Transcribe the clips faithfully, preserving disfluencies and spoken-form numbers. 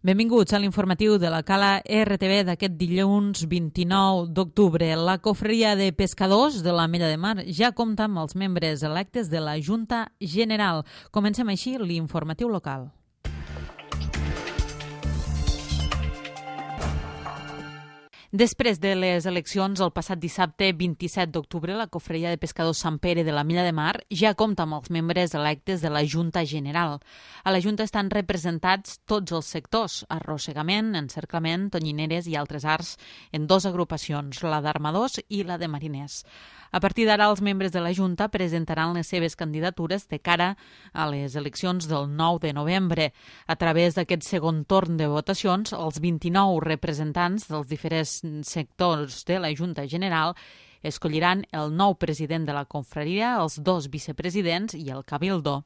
Benvinguts a l'informatiu de la Cala R T V d'aquest dilluns vint-i-nou d'octubre. La cofreria de pescadors de l'Ametlla de Mar ja compta amb els membres electes de la Junta General. Comencem així l'informatiu local. Després de les eleccions, el passat dissabte vint-i-set d'octubre, la cofreria de pescadors Sant Pere de l'Ametlla de Mar ja compta amb els membres electes de la Junta General. A la Junta estan representats tots els sectors, arrossegament, encerclament, tonyineres i altres arts, en dues agrupacions, la d'armadors i la de mariners. A partir d'ara, els membres de la Junta presentaran les seves candidatures de cara a les eleccions del nou de novembre. A través d'aquest segon torn de votacions, els vint-i-nou representants dels diferents sectors de la Junta General escolliran el nou president de la confraria, els dos vicepresidents i el cabildo.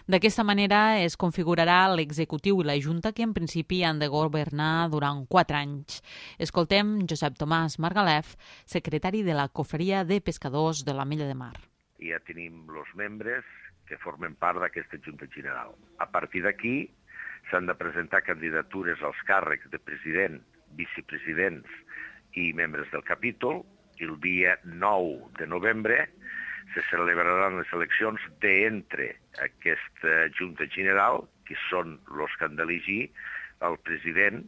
D'aquesta manera es configurarà l'executiu i la Junta, que en principi han de governar durant quatre anys. Escoltem Josep Tomàs Margalef, secretari de la cofreria de pescadors de l'Ametlla de Mar. Ja tenim els membres que formen part d'aquesta Junta General. A partir d'aquí s'han de presentar candidatures als càrrecs de president, vicepresidents i membres del capítol. El dia nou de novembre se celebraran les eleccions d'entre aquesta Junta General, que són els que han d'elegir el president,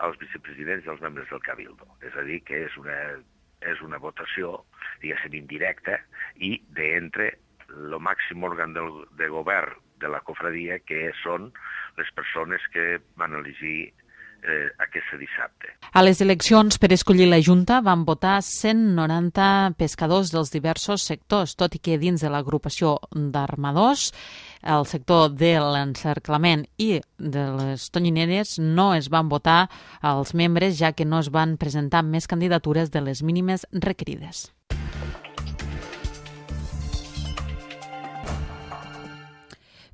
els vicepresidents i els membres del cabildo. És a dir, que és una, és una votació, diguéssim, indirecta, i d'entre el màxim òrgan del, de govern de la cofradia, que són les persones que van elegir Eh, aquest dissabte. A les eleccions per escollir la Junta van votar cent noranta pescadors dels diversos sectors, tot i que dins de l'agrupació d'armadors, el sector de l'encerclament i de les tonyineres no es van votar als membres, ja que no es van presentar més candidatures de les mínimes requerides.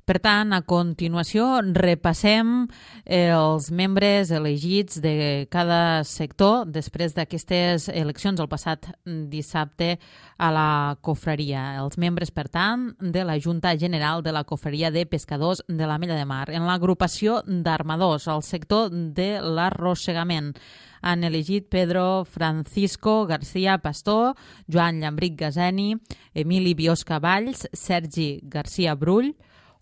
Per tant, a continuació repassem els membres elegits de cada sector després d'aquestes eleccions el passat dissabte a la cofreria. Els membres, per tant, de la Junta General de la Cofreria de Pescadors de l'Ametlla de Mar. En l'agrupació d'armadors, al sector de l'arrossegament, han elegit Pedro Francisco García Pastor, Joan Llambric Gazeni, Emili Biosca Valls, Sergi García Brull,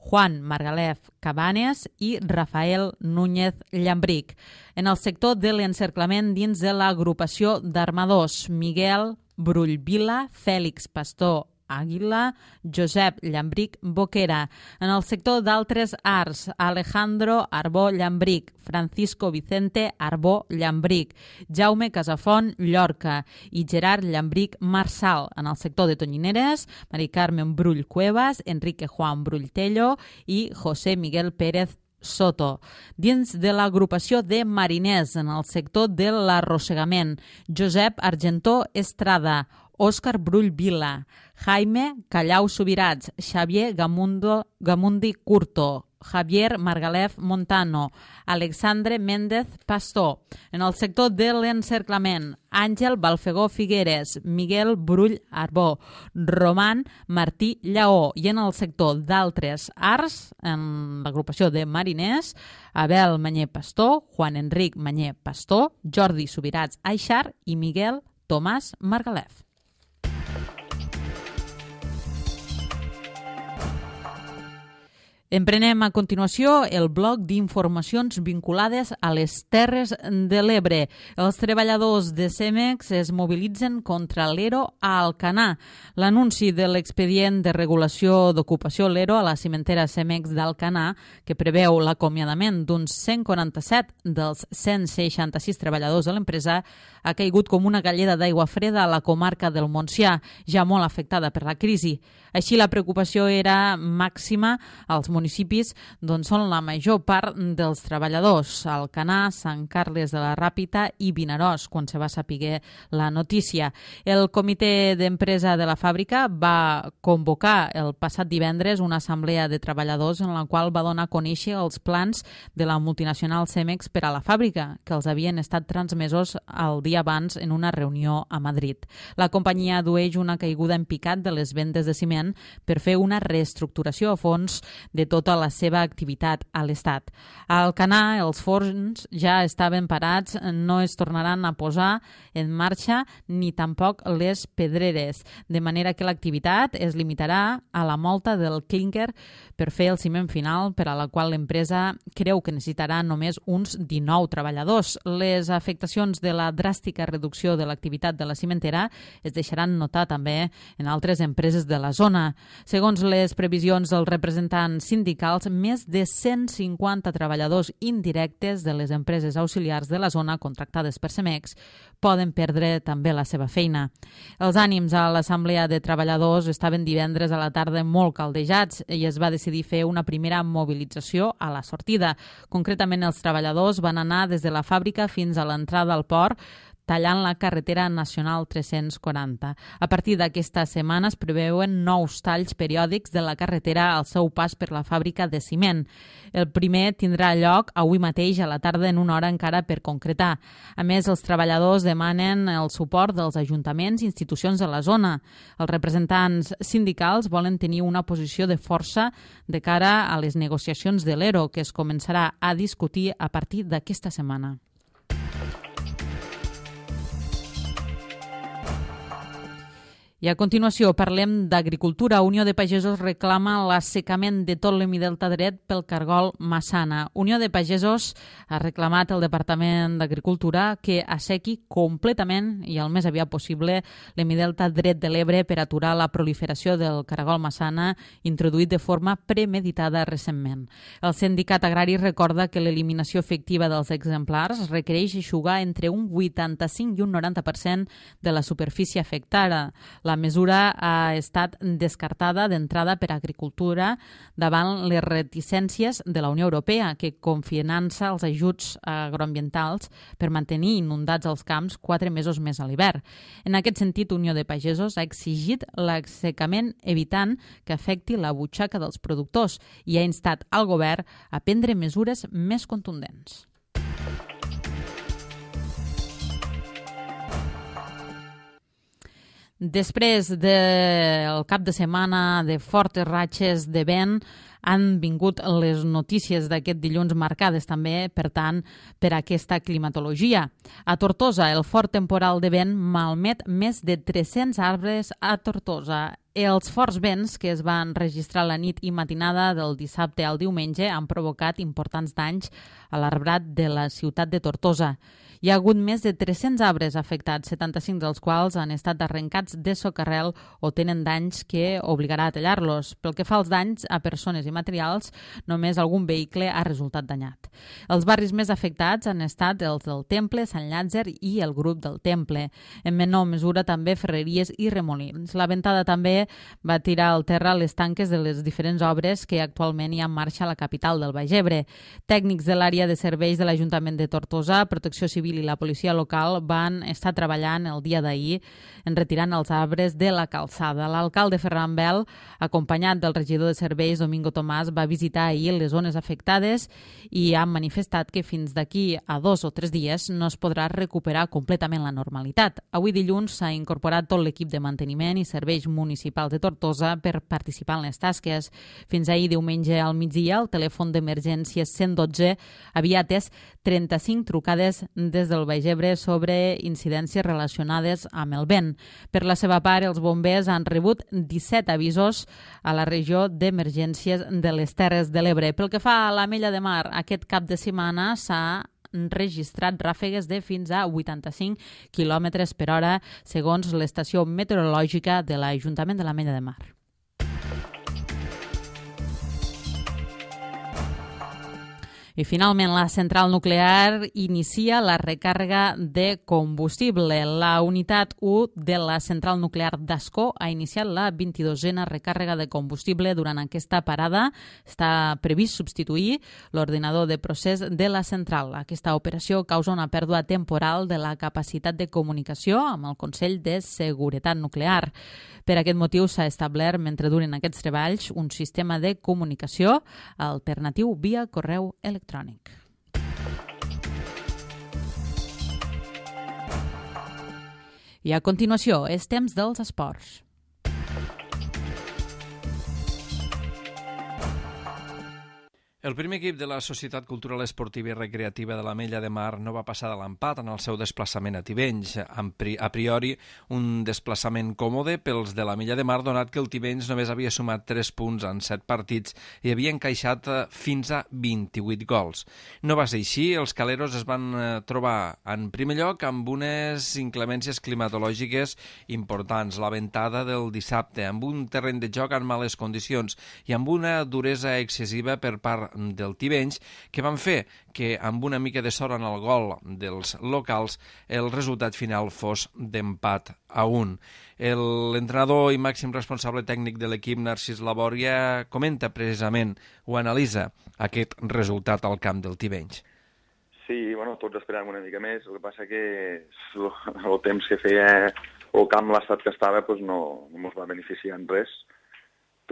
Juan Margalef Cabanes i Rafael Núñez Llambric. En el sector de l'encerclament dins de l'agrupació d'armadors, Miguel Brull Vila, Fèlix Pastor Àguila, Josep Llambric Boquera. En el sector d'altres arts, Alejandro Arbó Llambric, Francisco Vicente Arbó Llambric, Jaume Casafont Llorca i Gerard Llambric Marsal. En el sector de tonyineres, Mari Carmen Brull Cuevas, Enrique Juan Brull Tello i José Miguel Pérez Soto. Dins de l'agrupació de mariners, en el sector de l'arrossegament, Josep Argentó Estrada, Òscar Brull Vila, Jaime Callau Subirats, Xavier Gamundo, Gamundi Curto, Javier Margalef Montano, Alexandre Méndez Pastor. En el sector de l'encerclament, Àngel Balfegó Figueres, Miguel Brull Arbó, Roman Martí Lleó. I en el sector d'altres arts, en l'agrupació de mariners, Abel Manyer Pastor, Juan Enric Manyer Pastor, Jordi Subirats Aixar i Miguel Tomàs Margalef. Emprenem a continuació el bloc d'informacions vinculades a les Terres de l'Ebre. Els treballadors de Cemex es mobilitzen contra l'ERO a Alcanar. L'anunci de l'expedient de regulació d'ocupació l'ERO a la cimentera Cemex d'Alcanar, que preveu l'acomiadament d'uns cent quaranta-set dels cent seixanta-sis treballadors de l'empresa, ha caigut com una galleda d'aigua freda a la comarca del Montsià, ja molt afectada per la crisi. Així, la preocupació era màxima als municipis d'on són la major part dels treballadors, Alcanar, Sant Carles de la Ràpita i Vinaròs, quan se va saber la notícia. El comitè d'empresa de la fàbrica va convocar el passat divendres una assemblea de treballadors en la qual va donar a conèixer els plans de la multinacional Cemex per a la fàbrica, que els havien estat transmesos el dia abans en una reunió a Madrid. La companyia dueix una caiguda en picat de les vendes de ciment ciment per fer una reestructuració a fons de tota la seva activitat a l'Estat. A Alcanar, els forns ja estaven parats, no es tornaran a posar en marxa ni tampoc les pedreres, de manera que l'activitat es limitarà a la molta del clínquer per fer el ciment final, per a la qual l'empresa creu que necessitarà només uns dinou treballadors. Les afectacions de la dràstica reducció de l'activitat de la cimentera es deixaran notar també en altres empreses de la zona. Segons les previsions dels representants sindicals, més de cent cinquanta treballadors indirectes de les empreses auxiliars de la zona contractades per Cemex poden perdre també la seva feina. Els ànims a l'Assemblea de Treballadors estaven divendres a la tarda molt caldejats i es va decidir fer una primera mobilització a la sortida. Concretament, els treballadors van anar des de la fàbrica fins a l'entrada al port, tallant la carretera nacional tres-cents quaranta. A partir d'aquesta setmana es preveuen nous talls periòdics de la carretera al seu pas per la fàbrica de ciment. El primer tindrà lloc avui mateix a la tarda en una hora encara per concretar. A més, els treballadors demanen el suport dels ajuntaments i institucions de la zona. Els representants sindicals volen tenir una posició de força de cara a les negociacions de l'E R O, que es començarà a discutir a partir d'aquesta setmana. I a continuació parlem d'agricultura. Unió de Pagesos reclama l'assecament de tot l'hemidelta dret pel cargol Massana. Unió de Pagesos ha reclamat al Departament d'Agricultura que assequi completament i el més aviat possible l'hemidelta dret de l'Ebre per aturar la proliferació del cargol Massana introduït de forma premeditada recentment. El sindicat agrari recorda que l'eliminació efectiva dels exemplars requereix eixugar entre un vuitanta-cinc i un noranta per cent de la superfície afectada. La mesura ha estat descartada d'entrada per Agricultura davant les reticències de la Unió Europea, que confinança els ajuts agroambientals per mantenir inundats els camps quatre mesos més a l'hivern. En aquest sentit, Unió de Pagesos ha exigit l'assecament evitant que afecti la butxaca dels productors i ha instat al govern a prendre mesures més contundents. Després del cap de setmana de fortes ratxes de vent, han vingut les notícies d'aquest dilluns marcades també, per tant, per aquesta climatologia. A Tortosa, el fort temporal de vent malmet més de tres-cents arbres a Tortosa. Els forts vents que es van registrar la nit i matinada del dissabte al diumenge han provocat importants danys a l'arbrat de la ciutat de Tortosa. Hi ha hagut més de tres-cents arbres afectats, setanta-cinc dels quals han estat arrencats de socarrel o tenen danys que obligarà a tallar-los. Pel que fa als danys a persones i materials, només algun vehicle ha resultat danyat. Els barris més afectats han estat els del Temple, Sant Llàtzer i el grup del Temple. En menor mesura també Ferreries i Remolins. La ventada també va tirar al terra les tanques de les diferents obres que actualment hi ha en marxa a la capital del Baix Ebre. Tècnics de l'àrea de serveis de l'Ajuntament de Tortosa, Protecció Civil i la policia local van estar treballant el dia d'ahir en retirant els arbres de la calçada. L'alcalde Ferran Bel, acompanyat del regidor de serveis Domingo Tomàs, va visitar ahir les zones afectades i ha manifestat que fins d'aquí a dos o tres dies no es podrà recuperar completament la normalitat. Avui dilluns s'ha incorporat tot l'equip de manteniment i serveis municipals de Tortosa per participar en les tasques. Fins ahir diumenge al migdia, el telèfon d'emergències cent dotze havia atès trenta-cinc trucades des del Baix Ebre sobre incidències relacionades amb el vent. Per la seva part, els bombers han rebut disset avisos a la regió d'emergències de les Terres de l'Ebre. Pel que fa a l'Ametlla de Mar, aquest cap de setmana s'ha registrat ràfegues de fins a vuitanta-cinc quilòmetres per hora, segons l'estació meteorològica de l'Ajuntament de l'Ametlla de Mar. I finalment, la central nuclear inicia la recàrrega de combustible. La unitat u de la central nuclear d'Ascó ha iniciat la vint-i-dosena recàrrega de combustible durant aquesta parada. Està previst substituir l'ordinador de procés de la central. Aquesta operació causa una pèrdua temporal de la capacitat de comunicació amb el Consell de Seguretat Nuclear. Per aquest motiu s'ha establert, mentre duren aquests treballs, un sistema de comunicació alternatiu via correu electrònic. I a continuació, és temps dels esports. El primer equip de la Societat Cultural Esportiva i Recreativa de l'Ametlla de Mar no va passar de l'empat en el seu desplaçament a Tivenys. A priori, un desplaçament còmode pels de l'Ametlla de Mar, donat que el Tivenys només havia sumat tres punts en set partits i havia encaixat fins a vint-i-vuit gols. No va ser així, els caleros es van trobar en primer lloc amb unes inclemències climatològiques importants, la ventada del dissabte, amb un terreny de joc en males condicions i amb una duresa excessiva per part del Tivenys, que van fer que amb una mica de sort en el gol dels locals el resultat final fos d'empat a un. L'entrenador i màxim responsable tècnic de l'equip, Narcís Labòria, comenta precisament o analitza aquest resultat al camp del Tivenys. Sí, bueno, tots esperàvem una mica més, el que passa que el temps que feia el camp, l'estat que estava, doncs no, no ens va beneficiar en res,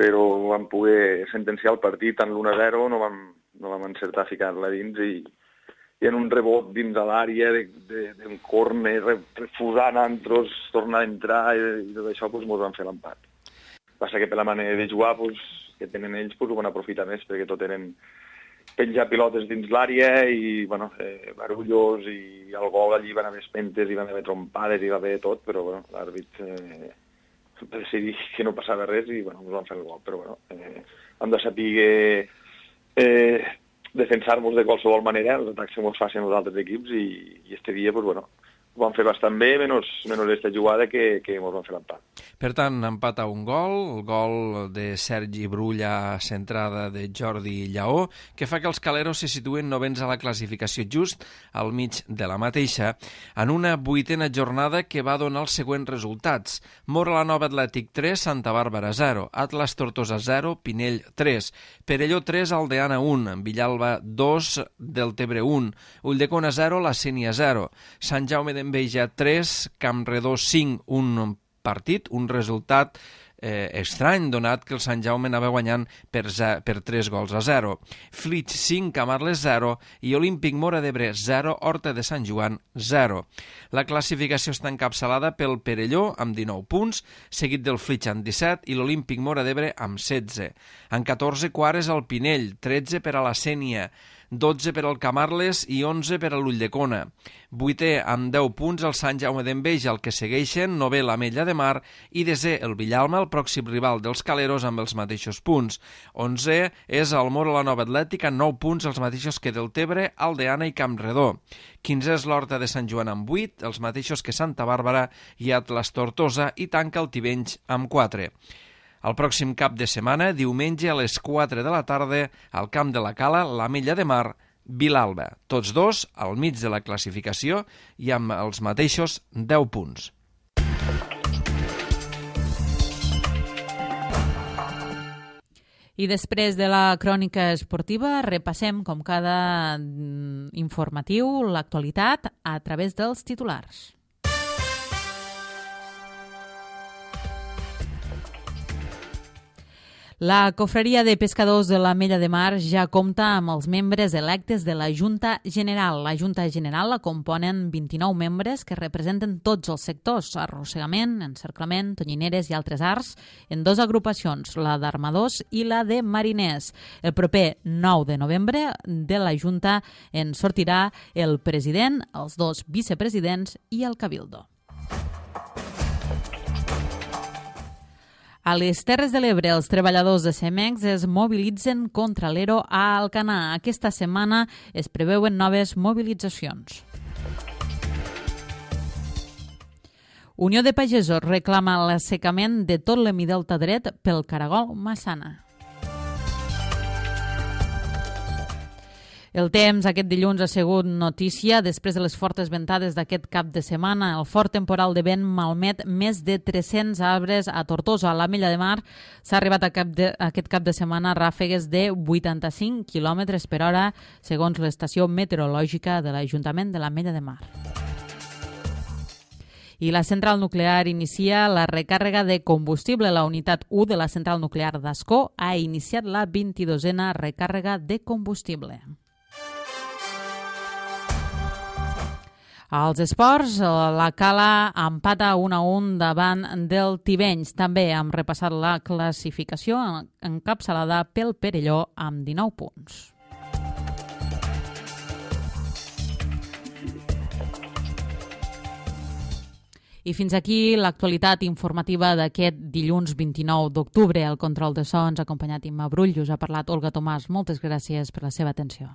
però vam poder sentenciar el partit en l'u a zero, no vam, no vam encertar a ficar-la dins i, i en un rebot dins de l'àrea d'un córner, refusant entros, tornar a entrar i, i tot això doncs, ens van fer l'empat. Passa que per la manera de jugar doncs, que tenen ells doncs, ho van aprofitar més perquè tot eren penjar pilotes dins l'àrea i bueno, eh, barullos i el gol allí van haver espentes i van haver trompades i va haver tot, però bueno, l'àrbit eh, va decidir que no passava res i bueno, ens van fer el gol, però bueno, eh, hem de saber eh, defensar-nos de qualsevol manera, els atacs que ens facin els altres equips i, i este dia pues, bueno, ho van fer bastant bé, menys, menys aquesta jugada que, que ens van fer l'empat. Per tant, empat a un gol, el gol de Sergi Brulla, centrada de Jordi Lleó, que fa que els caleros se situen novens a la classificació just al mig de la mateixa, en una vuitena jornada que va donar els següents resultats. Móra la Nova Atlètic tres, Santa Bàrbara zero, Atlas Tortosa zero, Pinell tres, Perelló tres, Aldeana un, Villalba dos, Deltebre un, Ulldecona zero, La Sénia zero, Sant Jaume d'Enveja tres, Campredó cinc, un partit, un resultat eh, estrany, donat que el Sant Jaume anava guanyant per, per tres gols a zero. Flix cinc, Camarles zero i Olímpic Móra d'Ebre zero, Horta de Sant Joan zero. La classificació està encapçalada pel Perelló amb dinou punts, seguit del Flix amb disset i l'Olímpic Móra d'Ebre amb setze. En catorze quarts el Pinell, tretze per a la Sénia, dotze per al Camarles i onze per a l'Ulldecona. Vuitè amb deu punts el Sant Jaume d'Enveja, el que segueixen novè l'Ametlla de Mar i desè el Villalba, el pròxim rival dels caleros amb els mateixos punts. Onzè és el Móra la Nova Atlètic amb nou punts, els mateixos que Deltebre, Aldeana i Campredó. Quinzè és l'Horta de Sant Joan amb vuit, els mateixos que Santa Bàrbara i Atlas Tortosa, i tanca el Tivenys amb quatre. El pròxim cap de setmana, diumenge a les quatre de la tarda, al camp de la Cala, l'Ametlla de Mar, Vilalba. Tots dos al mig de la classificació i amb els mateixos deu punts. I després de la crònica esportiva, repassem, com cada informatiu, l'actualitat a través dels titulars. La Confraria de Pescadors de l'Ametlla de Mar ja compta amb els membres electes de la Junta General. La Junta General la componen vint-i-nou membres que representen tots els sectors, arrossegament, encerclament, tonyineres i altres arts, en dues agrupacions, la d'armadors i la de mariners. El proper nou de novembre de la Junta en sortirà el president, els dos vicepresidents i el cabildo. A les Terres de l'Ebre, els treballadors de Cemex es mobilitzen contra l'Ero a Alcanar. Aquesta setmana es preveuen noves mobilitzacions. Unió de Pagesos reclama l'assecament de tot l'hemidelta dret pel caragol Massana. El temps aquest dilluns ha sigut notícia després de les fortes ventades d'aquest cap de setmana. El fort temporal de vent malmet més de tres-cents arbres a Tortosa. A l'Ametlla de Mar s'ha arribat a cap de, a aquest cap de setmana a ràfegues de vuitanta-cinc quilòmetres per hora, segons l'estació meteorològica de l'Ajuntament de l'Ametlla de Mar. I la central nuclear inicia la recàrrega de combustible. La unitat u de la central nuclear d'Ascó ha iniciat la vint-i-dosena recàrrega de combustible. Als esports, la Cala empata un a un davant del Tivenys. També hem repassat la classificació encapçalada pel Perelló amb dinou punts. I fins aquí l'actualitat informativa d'aquest dilluns vint-i-nou d'octubre. El control de so ens ha acompanyat Imma Brull, us ha parlat Olga Tomàs. Moltes gràcies per la seva atenció.